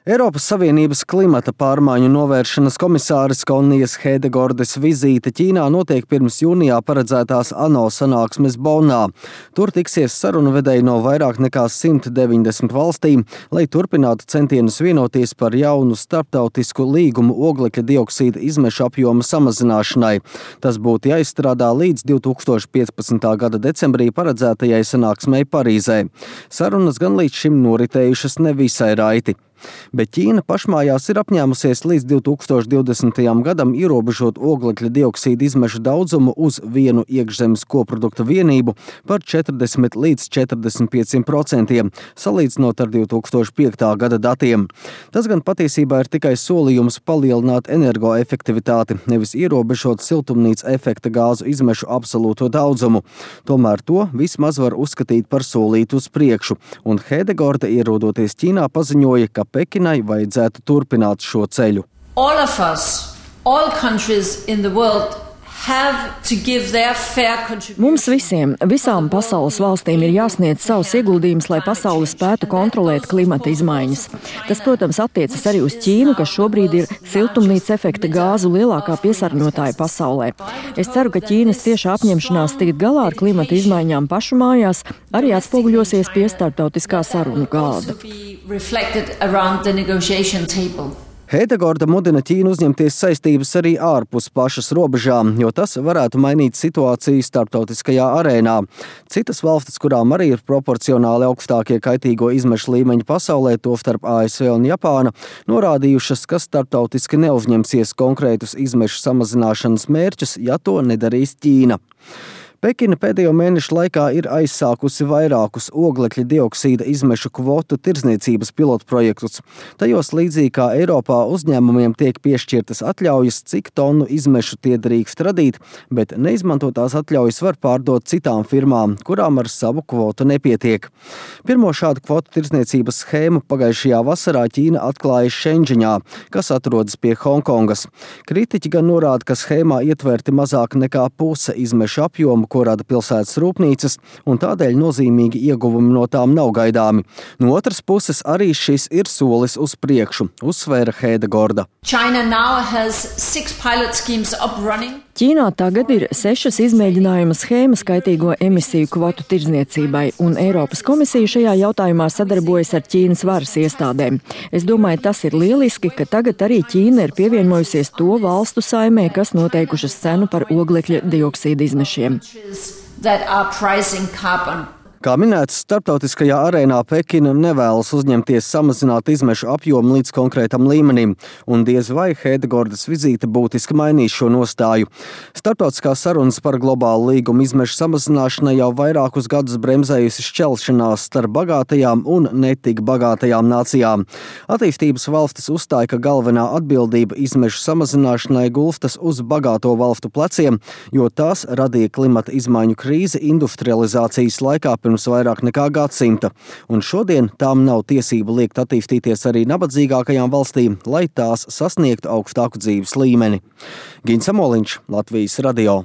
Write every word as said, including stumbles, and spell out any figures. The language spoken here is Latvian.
Eiropas Savienības klimata pārmaiņu novēršanas komisāres Konijas Hedegordes vizīte Ķīnā notiek pirms jūnijā paredzētās ANO sanāksmes Bonnā. Tur tiksies sarunvedēji no vairāk nekā simt deviņdesmit valstīm, lai turpinātu centienus vienoties par jaunu starptautisku līgumu oglekļa dioksīda izmešu apjoma samazināšanai. Tas būtu jāizstrādā līdz divi tūkstoši piecpadsmitā gada decembrī paredzētajai sanāksmei Parīzē. Sarunas gan līdz šim noritējušas nevisai raiti. Bet Ķīna pašmājās ir apņēmusies līdz divi tūkstoši divdesmitajam gadam ierobežot oglekļa dioksīda izmešu daudzumu uz vienu iekšzemes koprodukta vienību par četrdesmit līdz četrdesmit pieciem procentiem, salīdzinot ar divi tūkstoši piektā gada datiem. Tas gan patiesībā ir tikai solījums palielināt energoefektivitāti, nevis ierobežot siltumnīca efekta gāzu izmešu absolūto daudzumu. Tomēr to vismaz var uzskatīt par solītu uz priekšu, un Hedegorde ierodoties Ķīnā paziņoja, ka Pekinai vajadzētu turpināt šo ceļu. All of us, all countries in the world have to give their fair contribution. Mums visiem, visām pasaules valstīm ir jāsniedz savus ieguldījumus, lai pasaule spētu kontrolēt klimata izmaiņas. Tas, protams, attiecas arī uz Ķīnu, kas šobrīd ir siltumnīca efekta gāzu lielākā piesārņotāja pasaulē. Es ceru, ka Ķīnas tieša apņemšanās tikt galā ar klimata izmaiņām pašu mājās arī atspoguļosies pie starptautiskā sarunu galda. Hedegorde mudina Ķīnu uzņemties saistības arī ārpus pašas robežām, jo tas varētu mainīt situāciju starptautiskajā arēnā. Citas valstis, kurām arī ir proporcionāli augstākie kaitīgo izmešu līmeņi pasaulē, tostarp A S V un Japāna, norādījušas, ka starptautiski neuzņemsies konkrētus izmešu samazināšanas mērķus, ja to nedarīs Ķīna. Pekina pēdējo mēnešu laikā ir aizsākusi vairākus oglekļa dioksīda izmešu kvotu tirdzniecības pilotprojektus. Tajos līdzīgi kā Eiropā uzņēmumiem tiek piešķirtas atļaujas, cik tonu izmešu tie drīkst radīt, bet neizmantotās atļaujas var pārdot citām firmām, kurām ar savu kvotu nepietiek. Pirmo šādu kvotu tirdzniecības schēmu pagājušajā vasarā Ķīna atklāja Šenžiņā, kas atrodas pie Hongkongas. Kritiķi gan norāda, ka schēmā ietverti mazāk nekā puse izmešu apjomu, ko rada pilsētas rūpnīcas, un tādēļ nozīmīgi ieguvumi no tām nav gaidāmi. No otras puses arī šis ir solis uz priekšu, uzsvēra Hedegorda. Ķīnā tagad ir sešas izmēģinājuma schēmas kaitīgo emisiju kvotu tirdzniecībai, un Eiropas komisija šajā jautājumā sadarbojas ar Ķīnas varas iestādēm. Es domāju, tas ir lieliski, ka tagad arī Ķīna ir pievienojusies to valstu saimē, kas noteikušas cenu par oglekļa dioksīda izmešiem. Kā minēts, starptautiskajā arēnā Pekina nevēlas uzņemties samazināt izmešu apjomu līdz konkrētam līmenim, un diez vai Hedegordes vizīte būtiski mainīs šo nostāju. Starptautiskās sarunas par globālu līgumu izmešu samazināšanai jau vairākus gadus bremzējusi šķelšanās starp bagātajām un netik bagātajām nācijām. Attīstības valstis uzstāja, ka galvenā atbildība izmešu samazināšanai gulstas uz bagāto valstu pleciem, jo tās radīja klimata izmaiņu krīzi industrializācijas laikā pirms vairāk nekā gadsimta, un šodien tām nav tiesību liekt attīstīties arī nabadzīgākajām valstīm, lai tās sasniegtu augstāku dzīves līmeni. Gins Amoliņš, Latvijas radio.